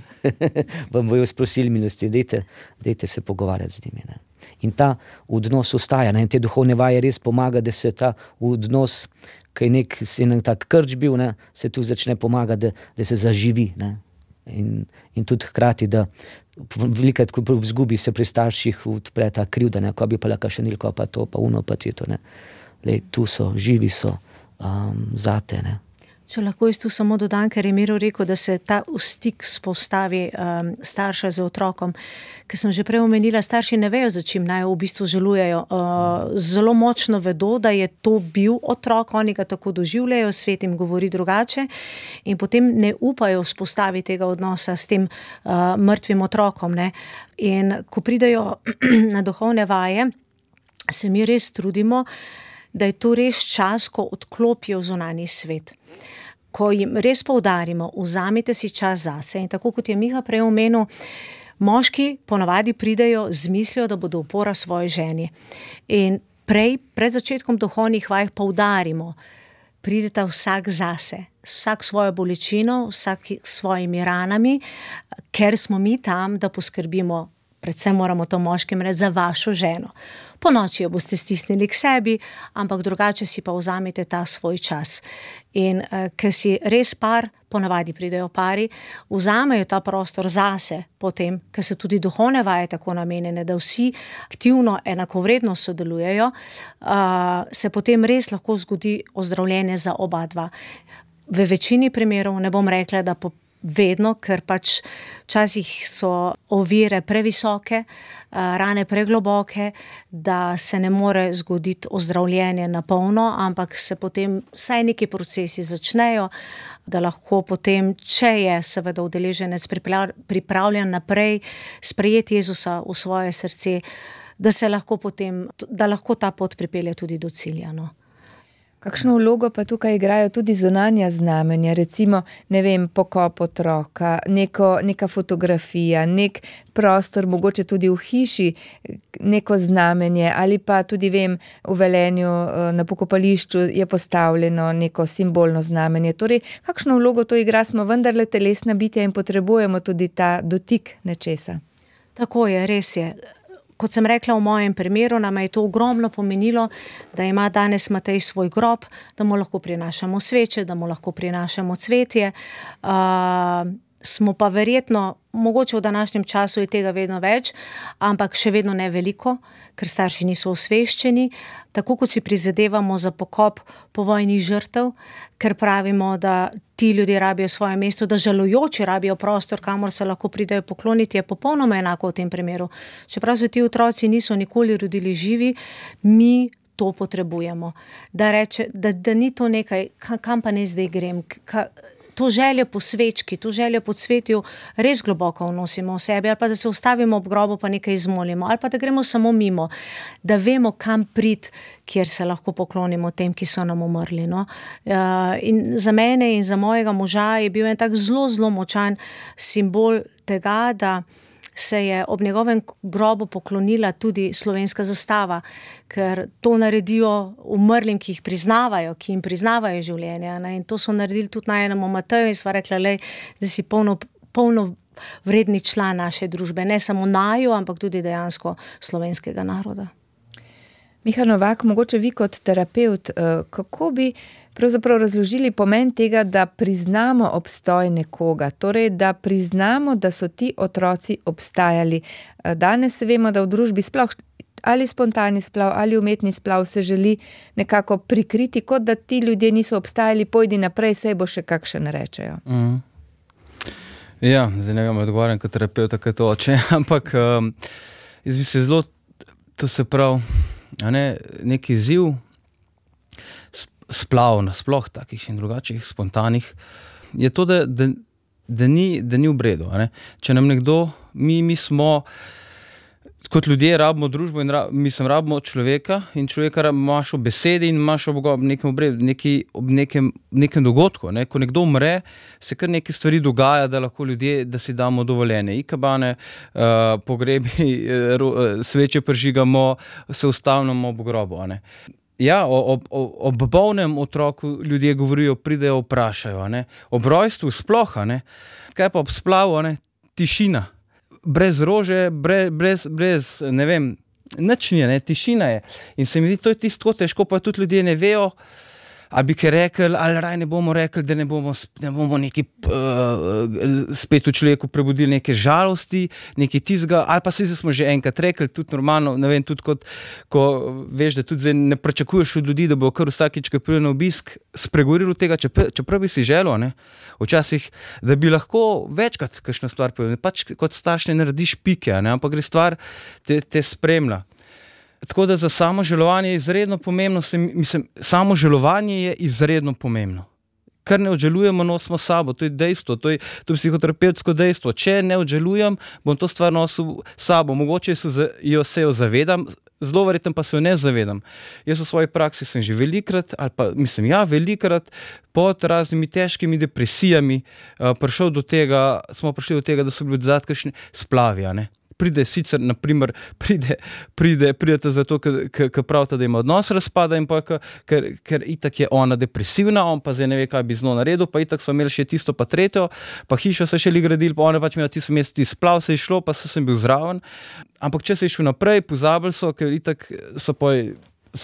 Vam bojo sprosili milosti, dajte se pogovarjati z njimi, ne. In ta odnos ostaja, ne, in te duhovne vaje res pomaga, da se ta odnos, ki je nek tak krč bil, ne, se tu začne pomagati, da se zaživi, ne. In tudi hkrati, da velikrat, ko izgubi se pri starših odpre ta krivda, ne, ko bi pa lahko še nilko, pa to, pa uno, pa to, ne. Lej, tu so, živi so, zate, ne. Če lahko jaz tu samo dodam, ker je Miro rekel, da se ta stik spostavi starša z otrokom, ker sem že prej omenila, starši ne vejo, za čim naj v bistvu žalujejo. Zelo močno vedo, da je to bil otrok, oni ga tako doživljajo, svet jim govori drugače in potem ne upajo vzpostaviti tega odnosa s tem mrtvim otrokom, ne. In ko pridejo na duhovne vaje, se mi res trudimo, da je to res čas, ko odklopijo zunanji svet. Ko jim res poudarimo, vzamite si čas zase. In tako kot je Miha prej omenil, moški ponavadi pridejo z mislijo, da bodo opora svoji ženi. In pred začetkom duhovnih vaj poudarimo, prideta vsak zase, vsak svojo bolečino, vsak s svojimi ranami, ker smo mi tam, da poskrbimo, predvsem moramo to moškim reči, za vašo ženo. Po noči jo boste stisnili k sebi, ampak drugače si pa vzamete ta svoj čas. In ker si res par, ponavadi pridejo pari, vzamejo ta prostor zase potem, ker so tudi duhovne vaje tako namenjene, da vsi aktivno enakovredno sodelujejo, se potem res lahko zgodi ozdravljenje za oba dva. V večini primerov, ne bom rekla, da vedno, ker pač včasih so ovire previsoke, rane pregloboke, da se ne more zgoditi ozdravljenje na polno, ampak se potem vsaj neki procesi začnejo, da lahko potem, če je seveda udeleženec pripravljen naprej sprejeti Jezusa v svoje srce, da lahko ta pot pripelje tudi do cilja. No. Kakšno vlogo pa tukaj igrajo tudi zunanja znamenja, recimo, ne vem, pokop otroka, neka fotografija, nek prostor, mogoče tudi v hiši, neko znamenje ali pa tudi vem, v Velenju na pokopališču je postavljeno neko simbolno znamenje. Torej, kakšno vlogo to igra, smo vendarle telesna bitja in potrebujemo tudi ta dotik nečesa. Tako je, res je. Kot sem rekla v mojem primeru, nam je to ogromno pomenilo, da ima danes Matej svoj grob, da mu lahko prinašamo sveče, da mu lahko prinašamo cvetje. Smo pa verjetno, mogoče v današnjem času je tega vedno več, ampak še vedno ne veliko, ker starši niso osveščeni. Tako kot si prizadevamo za pokop povojnih žrtev, ker pravimo, da ti ljudje rabijo svoje mesto, da žalujoči rabijo prostor, kamor se lahko pridejo pokloniti, je popolnoma enako v tem primeru. Čeprav se ti otroci niso nikoli rodili živi, mi to potrebujemo. Da ni to nekaj, kam pa ne zdaj grem, to željo po svečki, to željo po cvetju res globoko vnosimo v sebi, ali pa da se ustavimo ob grobu pa nekaj izmolimo, ali pa da gremo samo mimo, da vemo, kam priti, kjer se lahko poklonimo tem, ki so nam umrli. No? In za mene in za mojega moža je bil en tak zelo, zelo močan simbol tega, da se je ob njegovem grobu poklonila tudi slovenska zastava, ker to naredijo umrlim, ki jim priznavajo življenje. Ne? In to so naredili tudi najenemu Mateju in sva rekla, da si polno vredni član naše družbe, ne samo naju, ampak tudi dejansko slovenskega naroda. Miha Novak, mogoče vi kot terapevt, kako bi pravzaprav razložili pomen tega, da priznamo obstoj nekoga, torej da priznamo, da so ti otroci obstajali. Danes vemo, da v družbi sploh ali spontani splav ali umetni splav se želi nekako prikriti, kot da ti ljudje niso obstajali, pojdi naprej, saj bo še kakšen, rečejo. Ja, zdaj ne vem, odgovarjam kot terapevt, kaj to oče, ampak jaz bi se zelo, to se pravi, neki izziv splav nasploh takih in drugačnih spontanih je to, da ni v bredu. Če nam nekdo, mi smo kot ljudje rabimo družbo in rabimo človeka in človeka imaš v besedi in imaš ob nekem obredu, ob nekem dogodku. Ko nekdo umre, se kar nekaj stvari dogaja, da lahko ljudje, da si damo dovoljenje. Ikabane, pogrebi, sveče prižigamo, se ustavljamo ob grobu. Ja, ob bolnem otroku ljudje govorijo, pridejo, vprašajo. Ob rojstvu sploh, kaj pa ob splavu, tišina. Brez rože, brez ne vem, nič ni, tišina je. In se mi zdi, to je tisto težko, pa tudi ljudje ne vejo, ali bi kaj rekli, ali raj ne bomo rekli, da ne bomo neki spet v človeku prebudili neke žalosti, neki tizga, ali pa se smo že enkrat rekli, tudi normalno, ne vem, tudi ko veš, da tudi zdaj ne pričakuješ od ljudi, da bo kar vsakič, ko pride na obisk, spregovoril tega, čeprav bi si želel, včasih, da bi lahko večkrat kakšno stvar povedal, pač kot starš ne narediš pike, ampak gre stvar te spremlja. Tako da za samožalovanje je izredno pomembno, samožalovanje je izredno pomembno. Kar ne odžalujemo, nosimo sabo, to je dejstvo, to je psihoterapevtsko dejstvo. Če ne odžalujem, bom to stvar nosil sabo. Mogoče se jo zavedam, zelo verjetno pa se jo ne zavedam. Jaz v svoji praksi sem že velikrat velikrat pod raznimi težkimi depresijami smo prišli do tega, da so bili odzad kakšni splavi, Pride sicer, naprimer, pridete zato, ker pravite, da ima odnos razpada in pa, ker itak je ona depresivna, on pa zdaj ne ve, kaj bi z njo naredil, pa itak so imeli še tisto pa tretjo, pa hišo so še gradili, pa ona pač imela tisto mesto, splav se je šlo, pa sem bil zraven. Ampak če se je šel naprej, pozabili so, ker itak so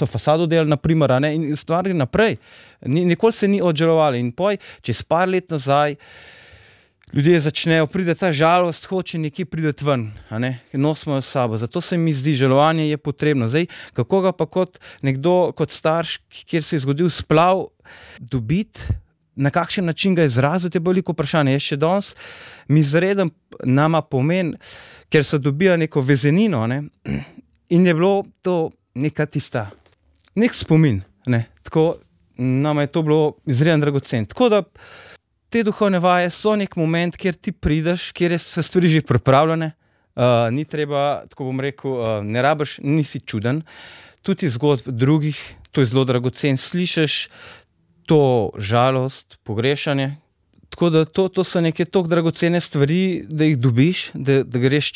fasado delali, naprimer, in stvari naprej. Nikoli se ni odžalovali in čez par let nazaj, ljudje začnejo, pride ta žalost, hoče nekje priti ven, nosimo jo s sabo. Zato se mi zdi, žalovanje je potrebno. Zdaj, kako ga pa kot nekdo, kot starš, kjer se je zgodil splav, dobiti, na kakšen način ga izraziti, je veliko vprašanje. Jaz še danes mi izreden nama pomen, ker se dobija neko vezenino, in je bilo to neka tista, nek spomin, Tako nama je to bilo izreden dragocen. Tako da te duhovne vaje so nek moment, kjer ti prideš, kjer so stvari že pripravljene, ni treba, tako bom rekel, ne rabiš, nisi čuden. tudi zgodb drugih, to je zelo dragocen, slišiš to žalost, pogrešanje. Tako da to so neke toliko dragocene stvari, da jih dobiš, da greš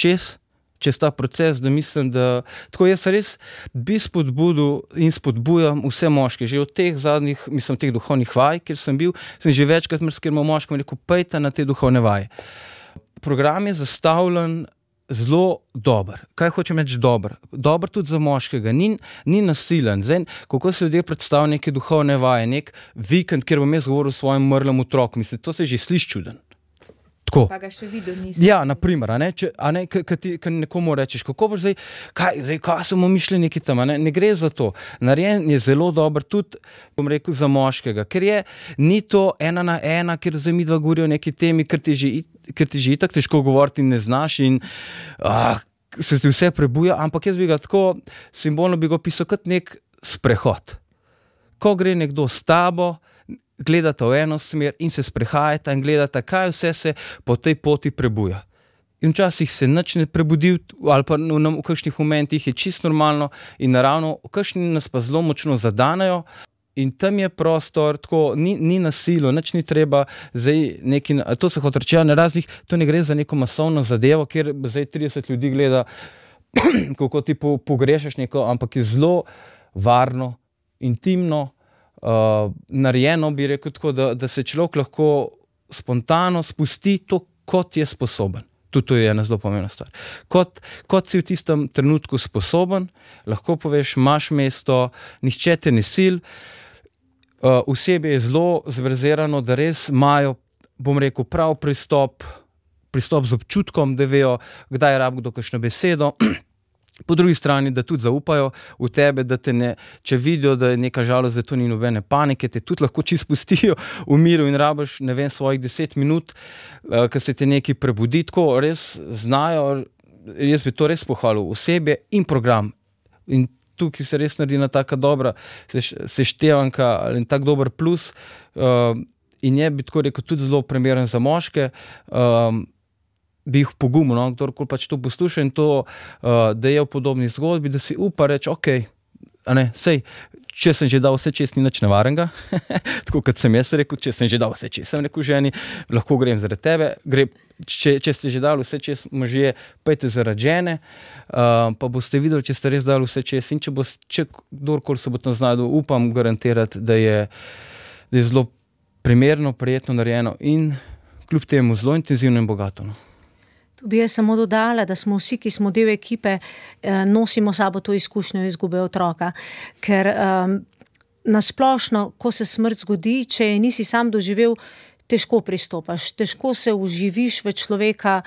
čez ta proces, da mislim, da tako jaz res bi spodbudil in spodbujam vse moške. Že od teh zadnjih, teh duhovnih vaj, kjer sem bil, sem že večkrat marsikemu moškemu rekel, pejte na te duhovne vaje. Program je zastavljen zelo dober. Kaj hočem reči dober? Dober tudi za moškega. Ni nasilen. Zdaj, kako se ljudje predstavljajo neke duhovne vaje, nek vikend, kjer bom jaz govoril o svojem mrlem otroku. To se že sliši čuden. Tako. Pa ga še videl nisem. Ja, naprimer, ko nekomu rečeš, kako boš kaj so mu mišljeniki tam, ne gre za to. Narejen je zelo dober tudi, bom rekel, za moškega, ker ni to 1 na 1, ker zdaj midva govorijo o neki temi, ker ti že itak težko govoriti in ne znaš in se ti vse prebuja, ampak jaz bi ga tako simbolno bi ga opisal kot nek sprehod. Ko gre nekdo s tabo, gledata v eno smer in se sprehajata in gledata, kaj vse se po tej poti prebuja. In včasih se nič ne prebudi, ali pa v kakšnih momentih je čisto normalno in naravno, kakšni nas pa zelo močno zadanejo in tam je prostor, tako ni nasilo, nič ni treba, zdaj neki, to se hoče reči, na raznih, to ne gre za neko masovno zadevo, kjer zdaj 30 ljudi gleda, kako ti pogrešaš neko, ampak je zelo varno, intimno, narejeno, bi rekel tako, da se človek lahko spontano spusti to, kot je sposoben. Tudi to je ena zelo pomembna stvar. Kot si v tistem trenutku sposoben, lahko poveš, imaš mesto, nihče te ne sil, osebje je zelo zverzirano, da res imajo, bom rekel, prav pristop z občutkom, da vejo, kdaj rabi kdo kakšno besedo. Po drugi strani, da tudi zaupajo v tebe, da te ne, če vidijo, da je neka žalost, da to ni nobene panike, te tudi lahko čisto pustijo v miru in rabiš, svojih 10 minut, ko se ti nekaj prebudi, tako res znajo, jaz bi to res pohvalil, osebje in program. In tukaj se res naredi na taka dobra seštevanka in tak dober plus in bi tako rekel tudi zelo primeren za moške, bi jih pogumil, kdorkoli pač to posluša in to, da je v podobni zgodbi, da si upa reči, sej, če sem že dal vse čez, ni nič nevarenega, tako kot sem jaz rekel, če sem že dal vse čez, sem rekel ženi, lahko grem zaradi tebe, če ste že dali vse čez možje, pejte zaradi žene, pa boste videli, če ste res dali vse čez in če kdorkoli se bo tam znajdel, upam garantirati, da je zelo primerno, prijetno narejeno in kljub temu zelo intenzivno in bogato. Tu bi jaz samo dodala, da smo vsi, ki smo del ekipe, nosimo sabo to izkušnjo izgube otroka, ker nasplošno, ko se smrt zgodi, če je nisi sam doživel, težko pristopaš, težko se vživiš v človeka,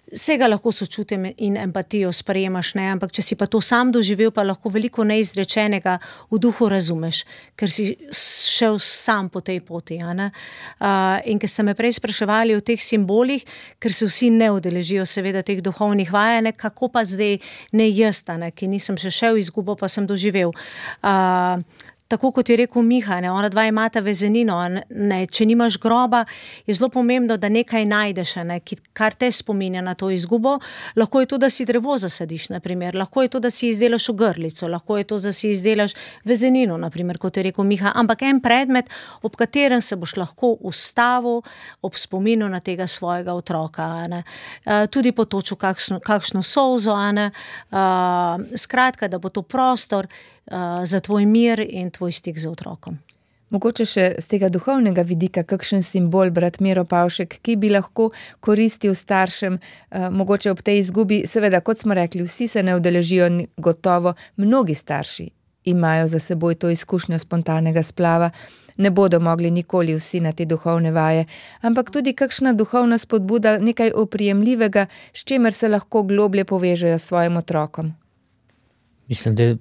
vsega lahko sočutim in empatijo sprejemaš, ampak če si pa to sam doživel, pa lahko veliko neizrečenega v duhu razumeš, ker si šel sam po tej poti. In ker ste me prej spraševali o teh simbolih, ker se vsi ne udeležijo seveda teh duhovnih vaj, kako pa zdaj ne jaz, ki nisem še šel izgubo, pa sem doživel. Tako kot je rekel Miha, ona dva imata vezenino, če nimaš groba, je zelo pomembno, da nekaj najdeš, kar te spominja na to izgubo. Lahko je to, da si drevo zasadiš, naprimer. Lahko je to, da si izdelaš ogrlico, lahko je to, da si izdelaš vezenino, naprimer, kot je rekel Miha, ampak en predmet, ob katerem se boš lahko ustavil ob spominu na tega svojega otroka. Tudi potočil kakšno solzo, skratka, da bo to prostor za tvoj mir in tvoj stik z otrokom. Mogoče še z tega duhovnega vidika, kakšen simbol, brat Miro Pavšek, ki bi lahko koristil staršem, mogoče ob tej izgubi, seveda, kot smo rekli, vsi se ne udeležijo, gotovo mnogi starši imajo za seboj to izkušnjo spontanega splava, ne bodo mogli nikoli vsi na te duhovne vaje, ampak tudi kakšna duhovna spodbuda, nekaj oprijemljivega, s čimer se lahko globlje povežejo s svojim otrokom. Mislim, da je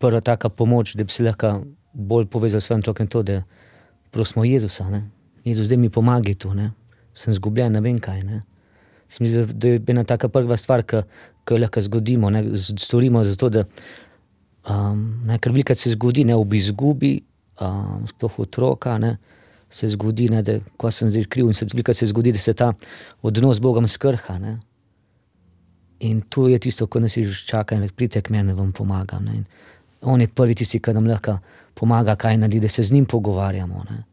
prva taka pomoč, da bi se lahko bolj povezal s svojim otrokom to, da prosimo Jezusa. Jezus, zdaj mi pomagaj tu, sem zgubljen, ne vem kaj. Mislim, da je ena taka prva stvar, ki jo lahko zgodimo, storimo zato, da ker velikrat se zgodi, ob izgubi, sploh otroka, se zgodi, da ko sem zdaj kriv in velikrat se zgodi, da se ta odnos z Bogom skrha. In tu je tisto, ko nas Jezus čaka in pridite k meni, vam pomagam. On je prvi tisti, ki nam lahko pomaga, kaj naredi, da se z njim pogovarjamo. Ne.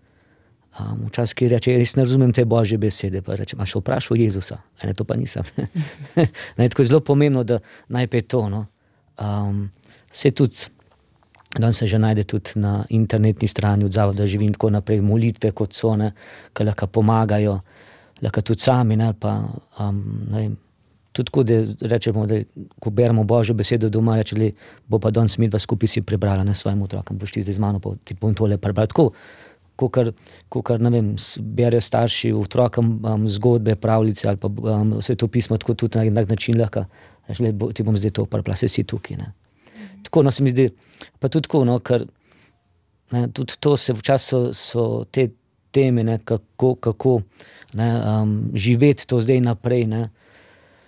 Včasih ki reče, jaz ne razumem te Božje besede, pa rečem, a še vprašal Jezusa? Ne, to pa nisem. Tako je zelo pomembno, da najprej to. No. Se tudi, danes se že najde tudi na internetni strani od Zavoda Živim tako naprej, molitve kot so, ne, ki lahko pomagajo, lahko tudi sami, ne, pa ne vem, tudi tako, da rečemo, da ko beremo Božjo besedo doma, reče, bo pa danes midva skupaj si prebrala, ne, svojim otrokom, boš ti zdaj z mano, pa ti bom tole prebrala. Tako, kakor, ne vem, berejo starši otrokom zgodbe, pravljice ali pa svetopismo, tako tudi na enak način lahko, reče, ti bom zdaj to prebrala, se si tukaj, ne. Tako, no, se mi zdi, pa tudi tako, no, ker ne, tudi to se včasih so te teme, ne, kako ne, živeti to zdaj naprej, ne.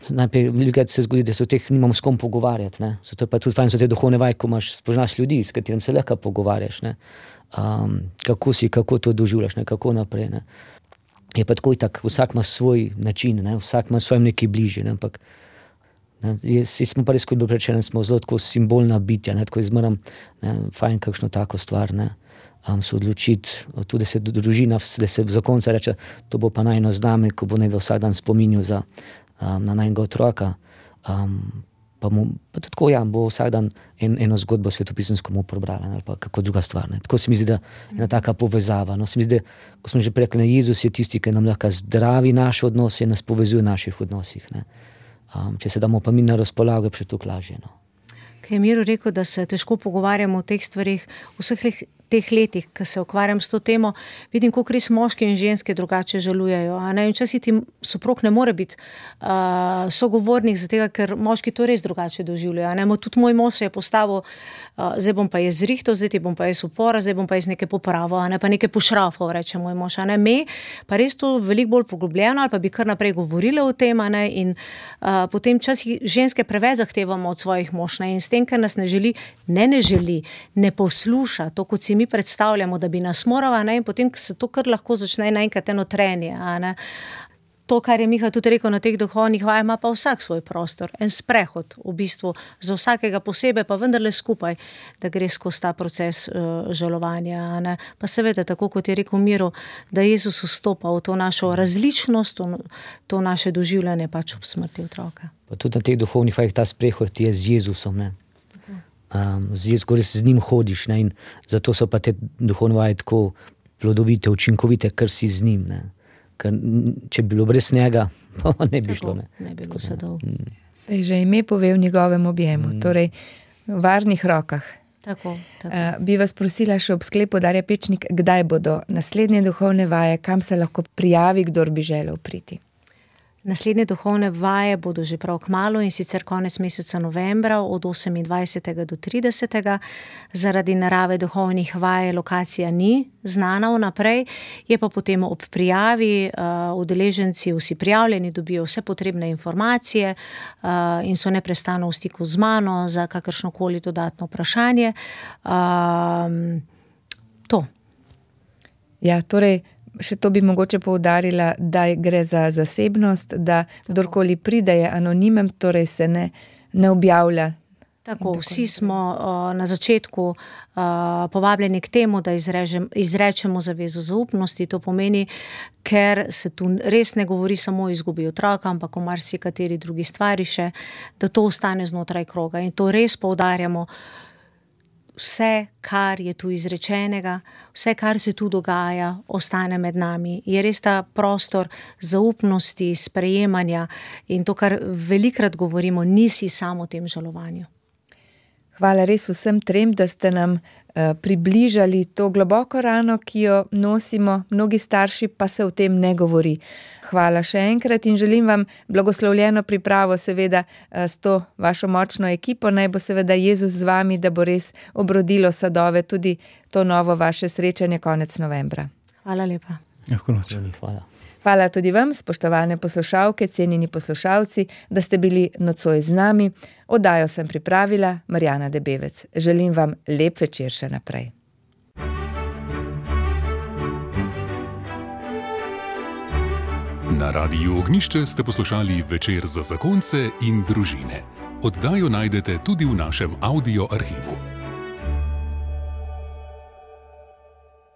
Najprej velikokrat se zgodi, da se o teh nimamo s kom pogovarjati, ne. Zato je pa tudi fajn so te duhovne vaje, ko spoznaš ljudi, s katerim se lahko pogovarjaš, ne. Kako to doživljaš, ne, kako naprej, ne. Je pa tako itak, vsak ima svoj način, ne, vsak ima svojim nekaj bližje, ne, ampak ne, smo pa res, kot bi rečeno, smo zelo tako simbolna bitja, ne, tako izmeram, ne, fajn kakšno tako stvar, ne, se odločiti, tudi da se družina, da se zakonca reče, to bo pa najno zname, ko bo nekdo vsak dan spominjal na najnega otroka, pa tudi tako, ja, bo vsak dan eno zgodbo svetopisemsko mu prebrala, ali pa kako druga stvar, ne. Tako se mi zdi, da je ena taka povezava, no, se mi zdi, ko smo že rekli, Jezus je tisti, ki nam lahko zdravi naše odnose in nas povezuje v naših odnosih, ne. Če se damo pa mi na razpolago, je še tukaj lažje, no. Kaj je Miro rekel, da se težko pogovarjamo o teh stvarih, vseh teh letih, ko se ukvarjam s to temo, vidim, koliko res moški in ženske drugače žalujejo. Včasih ti soprog ne more biti sogovornik, zato ker moški to res drugače doživljajo. Tudi moj mož se je postavil, zdaj bom pa jaz zrihtal, zdaj ti bom pa jaz upora, zdaj bom pa jaz nekaj popravil, pa nekaj pošrafal, reče moj mož. Me pa res to veliko bolj poglobljeno, ali pa bi kar naprej govorila o tem, in potem včasih ženske preveč zahtevamo od svojih mož, in s tem, ker nas ne želi, ne posluša, to kot si mi predstavljamo, da bi nas morala, in potem se to kar lahko začne naenkrat eno trenje. To, kar je Miha tudi rekel na teh duhovnih vajah, ima pa vsak svoj prostor, en sprehod v bistvu za vsakega posebej, pa vendarle skupaj, da gre skozi ta proces žalovanja. Pa seveda, tako kot je rekel Miro, da Jezus vstopa v to našo različnost, to naše doživljanje pač ob smrti otroka. Pa tudi na teh duhovnih vajah ta sprehod je z Jezusom, ne. Z njim hodiš, ne, in zato so pa te duhovne vaje tako plodovite, učinkovite, ker si z njim, ne. Ker če bi bilo brez njega, pa ne bi šlo, ne. Ne bi bilo sadov. Saj že ime pove v njegovem objemu, torej v varnih rokah. Tako. Bi vas prosila še ob sklepu, Darja Pečnik, kdaj bodo naslednje duhovne vaje, kam se lahko prijavi, kdor bi želel priti? Naslednje duhovne vaje bodo že prav kmalu, in sicer konec meseca novembra od 28. do 30. Zaradi narave duhovnih vaj lokacija ni znana vnaprej, je pa potem ob prijavi udeleženci vsi prijavljeni, dobijo vse potrebne informacije in so neprestano v stiku z mano za kakršnokoli dodatno vprašanje. To. Ja, torej, še to bi mogoče poudarila, da gre za zasebnost, da kdorkoli pride je anonimen, torej se ne objavlja. Tako, vsi smo na začetku povabljeni k temu, da izrečemo zavezo zaupnosti. To pomeni, ker se tu res ne govori samo o izgubi otroka, ampak o marsikateri drugi stvari še, da to ostane znotraj kroga. In to res poudarjamo. Vse, kar je tu izrečenega, vse, kar se tu dogaja, ostane med nami. Je res ta prostor zaupnosti, sprejemanja in to, kar velikrat govorimo, nisi samo v tem žalovanju. Hvala res vsem trem, da ste nam približali to globoko rano, ki jo nosimo, mnogi starši pa se o tem ne govori. Hvala še enkrat in želim vam blagoslovljeno pripravo, seveda s to vašo močno ekipo, naj bo seveda Jezus z vami, da bo res obrodilo sadove tudi to novo vaše srečanje konec novembra. Hvala lepa. Hvala. Hvala tudi vam, spoštovane poslušalke, cenjeni poslušalci, da ste bili nocoj z nami. Oddajo sem pripravila Marjana Debevec. Želim vam lep večer še naprej. Na Radiu Ognjišče ste poslušali Večer za zakonce in družine. Oddajo najdete tudi v našem audio arhivu.